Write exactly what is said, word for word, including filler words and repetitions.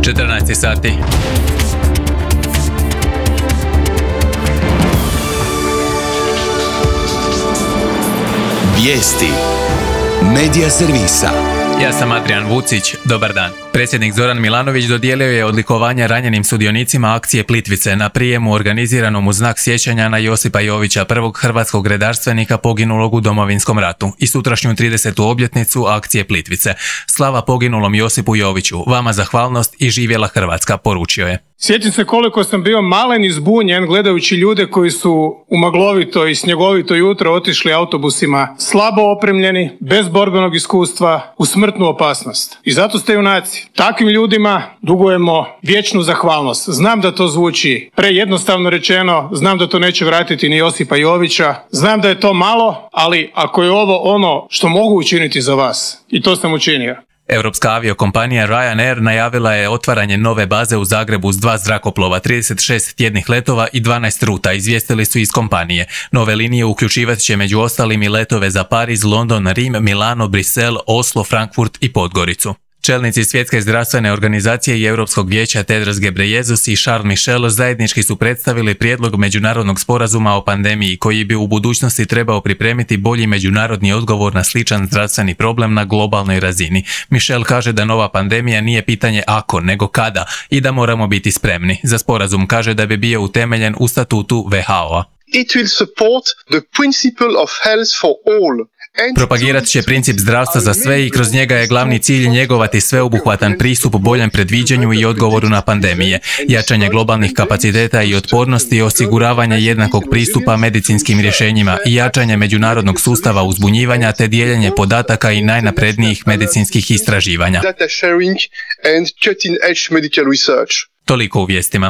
četrnaest sati. Vijesti Medija servisa. Ja sam Adrian Vucić, dobar dan. Predsjednik Zoran Milanović dodijelio je odlikovanja ranjenim sudionicima akcije Plitvice na prijemu organiziranom u znak sjećanja na Josipa Jovića, prvog hrvatskog redarstvenika poginulog u Domovinskom ratu, i sutrašnju tridesetu obljetnicu akcije Plitvice. Slava poginulom Josipu Joviću, vama zahvalnost i živjela Hrvatska, poručio je. Sjećam se koliko sam bio malen i zbunjen gledajući ljude koji su u maglovito i snjegovito jutro otišli autobusima slabo opremljeni, bez borbenog iskustva, u smrtnu opasnost. I zato ste junaci. Takvim ljudima dugujemo vječnu zahvalnost. Znam da to zvuči prejednostavno rečeno, znam da to neće vratiti ni Josipa Jovića, znam da je to malo, ali ako je ovo ono što mogu učiniti za vas, i to sam učinio. Europska aviokompanija Ryanair najavila je otvaranje nove baze u Zagrebu s dva zrakoplova, trideset šest tjednih letova i dvanaest ruta, izvijestili su iz kompanije. Nove linije uključivat će među ostalim i letove za Pariz, London, Rim, Milano, Brisel, Oslo, Frankfurt i Podgoricu. Čelnici Svjetske zdravstvene organizacije i Europskog vijeća Tedros Ghebreyesus i Charles Michel zajednički su predstavili prijedlog međunarodnog sporazuma o pandemiji koji bi u budućnosti trebao pripremiti bolji međunarodni odgovor na sličan zdravstveni problem na globalnoj razini. Michel kaže da nova pandemija nije pitanje ako, nego kada, i da moramo biti spremni. Za sporazum kaže da bi bio utemeljen u statutu W H O-a. It will support the principle of health for all. Propagirat će princip zdravstva za sve i kroz njega je glavni cilj njegovati sveobuhvatan pristup boljem predviđanju i odgovoru na pandemije, jačanje globalnih kapaciteta i otpornosti, osiguravanje jednakog pristupa medicinskim rješenjima i jačanje međunarodnog sustava uzbunjivanja te dijeljenje podataka i najnaprednijih medicinskih istraživanja. Data sharing and cutting edge medical research. Toliko u vijestima.